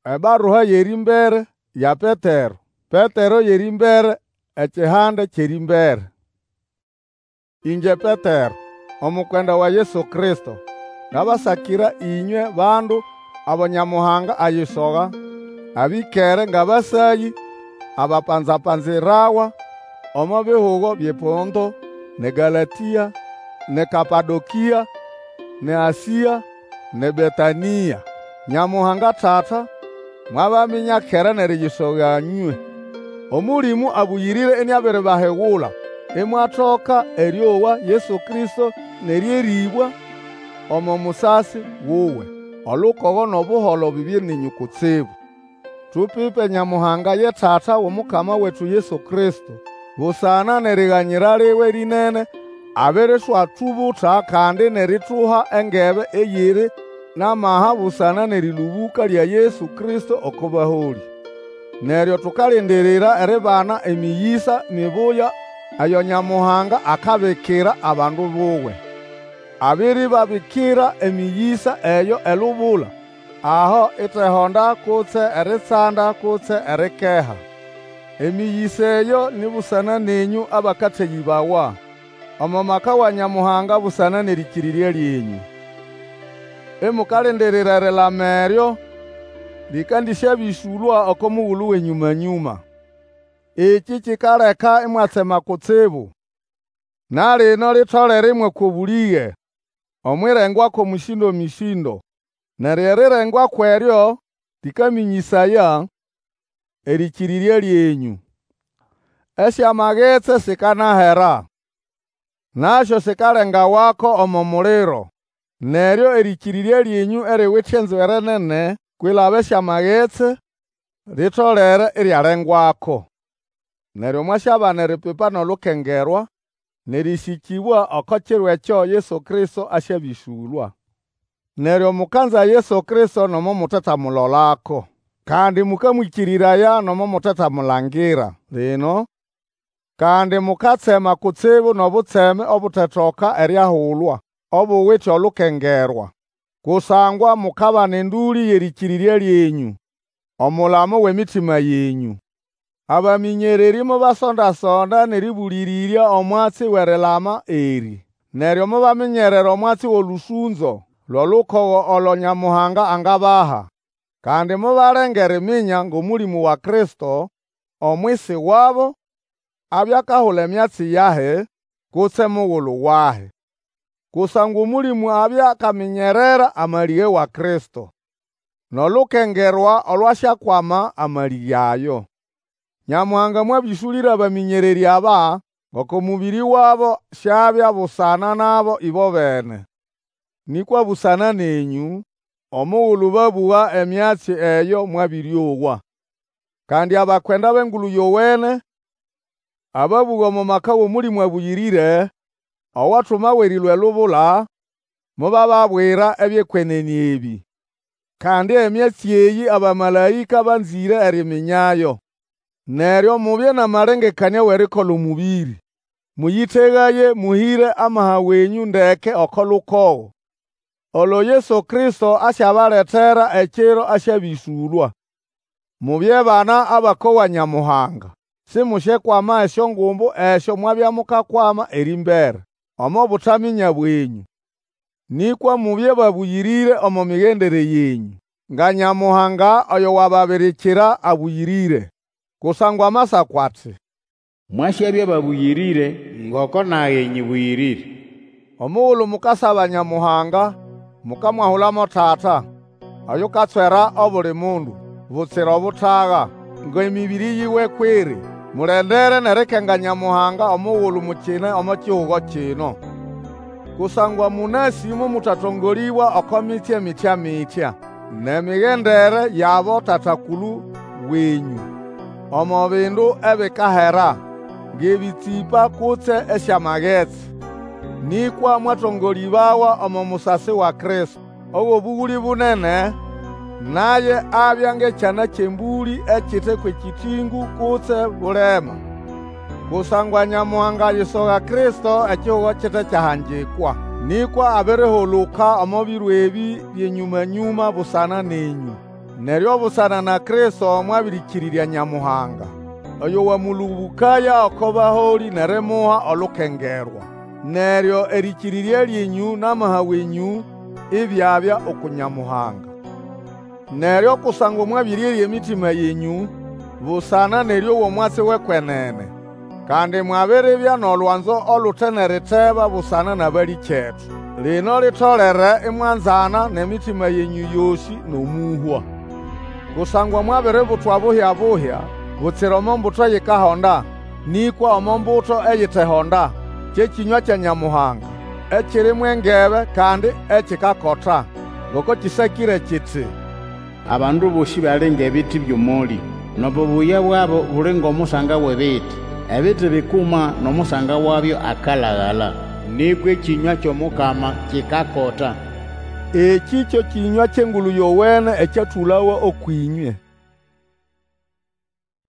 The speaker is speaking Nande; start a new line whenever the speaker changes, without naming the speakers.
Ebarua y'erĩmbere ya Petero. Petero y'erĩmbere, ekihande ky'erĩmbere. Ĩngye Petero, omukwenda wa Yesu Kristo, ngabasakira ĩnywe bandu abo Nyamuhanga ayisoga, abĩkere ng'abasayĩ abapanza-panzirawa omo bihugo by'ePonto, n'eGalatĩa, n'eKapadokĩa, n'eAsĩa, n'eBetanĩa. Nyamuhanga Tata mwabaminya kera n'eriyisoga nywe. Omũlĩmũ Abũyĩrĩre iniabiribahigula, imwatoka erĩowa Yesu Kristo n'erĩerĩbwa omo musasi wuwe. Olukogo n'obuholo bibye nenyũ kutsibu. Tũpipe Nyamuhanga ye Tata w'Omukama wetu Yesu Kristo, busana n'eriganyira liwe lĩnene abiriswatubuta kandi n'erituha engebe eyiri n'amaha busana n'erĩlũbũka lya Yesu Kristo oko baholĩ. Neryo tukalindirira eribana emĩyĩsa mibuya eyo Nyamuhanga akabikira abandu buwe. Abĩrĩbabikira emĩyĩsa eyo elubula, aho itehonda kutse eritsanda kutse erikeha. Emĩyĩsa eyo ni busana nenyũ abakateyĩbawa omo maka wa Nyamuhanga busana n'erĩkĩrĩrya lyenyũ. Imukalindirira erilama eryo lĩkandĩsyabĩsũlwa oko mugulu w'enyũma-nyũma. Ekĩ kikaleka imwatsema kutsibu. Na lino litolere imwakwa obũlĩge omw'irengwa kw'omũsĩndo-mĩsĩndo. Neryo erirengwa kw'eryo lĩkamĩnyĩsaya erĩkĩrĩrya lyenyũ. Esyamagetsi sikanahera, nasyo sikalengawako omo muliro. Neryo erĩkĩrĩrya lyenyũ eriwite enzwere nene kwilaba esyamagetsi, litolere iryalengwako. Neryo mwasyabana eripipa n'olukengerwa, n'erĩsĩkĩbwa oko kiro ekyo Yesu Kristo asyabĩsũlwa. Neryo mukanza Yesu Kristo nomo mutetamulolako. Kandi mũkamwĩkĩrĩraya nomo mutetamulangira lino, kandi mukatsema kutsibu n'obutseme obutetoka eriahulwa, obuwite olukengerwa. Kusangwa mukabana endũlĩ y'erĩkĩrĩrya lyenyũ, omulamo w'emitima yenyũ. Abamĩnyererĩ mobasonda-sonda n'erĩbũlĩrĩrya omwatsi w'erilama erĩ. Neryo mobaminyerera omwatsi w'olũsũnzo lw'olukogo olo Nyamuhanga angabaha. Kandi mobalenga eriminya ng'Omũlĩmũ wa Kristo omwisi wabo abya akahula emyatsi yahi, kutse mugulu wahi. Kusangwa Omũlĩmũ abya akaminyerera amalĩge wa Kristo, n'olukengerwa olwasyakwama amalĩge ayo. Nyamuhanga mwabĩsũlĩra abamĩnyererĩ aba ngoko mũbĩrĩ wabo siabya busana nabo ĩbobene, nĩkwa busana nenyũ, omugulu babũga emyatsi eyo mwabĩrĩowa. Kandi abakwenda b'Engulu Yowene, ababũga omo maka w'Omũlĩmũ Abũyĩrĩre, owatumawa erĩlũa elubula, mobababwira eby'ekwenene ebĩ. Kandi emyatsi eyĩ abamalaĩka banzĩre erĩmĩnyayo. Neryo mubye n'amalengekanĩa w'erikola omũbĩrĩ. Mũyĩtegaye mũhĩre amaha wenyũ ndeke oko lukogo, olo Yesu Kristo asyabaletera ekiro asyabĩsũlwa. Mubye bana abakowa Nyamuhanga, simusyekwama esyongumbu esyo mwabya mukakwama erĩmbere, omo butaminya bwenyũ. Nĩkwa mubye babũyĩrĩre omo migendere yenyũ, nga Nyamuhanga oyo wababirikira abũyĩrĩre. Kusangwa Amasako ati,
Mwasyabya babũyĩrĩre ngoko nage nyĩbũyĩrĩre.
Omugulu mukasaba Nyamuhanga, mukamwahula mo Tata, oyukatswera obuli mundu, butsira obutaga, ng'emĩbĩrĩ yiwe kw'iri. Mulendere n'erikenga Nyamuhanga omugulu mukine omo kihugo kino. Kusangwa mũnasĩ momũtatongolĩbwa oko mitsye mitya-mitya, n'emigendere y'abotata-kulu wenyũ, omo bindu ebikahera, ng'ebĩtsĩpa kutse esyamagetsi. Nĩkwa mwatongolĩbawa omo musasi wa Kristo, ow'obũgũlĩ bunene, naye abya ng'ekyana ky'embũlĩ ekite kw'ekĩtĩngũ kutse bulema. Kusangwa Nyamuhanga ayisoga Kristo ekihugo kite kyahangikwa. Nĩkwa abirihuluka omo biro ebĩ by'enyũma-nyũma busana nenyũ. Neryo busana na Kristo mwabĩrĩkĩrĩrya Nyamuhanga, oyo wamũlũbũkaya oko baholĩ n'erimuha olukengerwa. Neryo erĩkĩrĩrya lyenyũ n'amaha wenyũ ibyabya uku Nyamuhanga. Neryo kusangwa mwabĩrĩerya emitima yenyũ busana n'erĩowa omwatsi w'ekwenene, kandi mwabiribya n'olwanzo olute n'eriteba busana n'abalĩkyetu, lino litolere imwanzana n'emitima yenyũ yosĩ n'omũhwa. Kusangwa mwabiributwa buhya-buhya, butsira omo mbuto eyikahonda, nĩkwa omo mbuto eyitehonda, kye kĩnywa kya Nyamuhanga, ekiri mw'engebe kandi ekikakota. Ngoko kĩsakĩre kiti,
Abandu bosĩ bali ng'ebiti by'omolĩ, N'obubuya bwabo buli ng'omusanga w'ebiti. Ebiti bikuma, n'omusanga wabyo akalagala. Nĩkwa ekĩnywa ky'omukama kikakota.
Ekĩ kyo kĩnywa ky'Engulu Yowene ekyatũlawa ũkw'ĩnywe.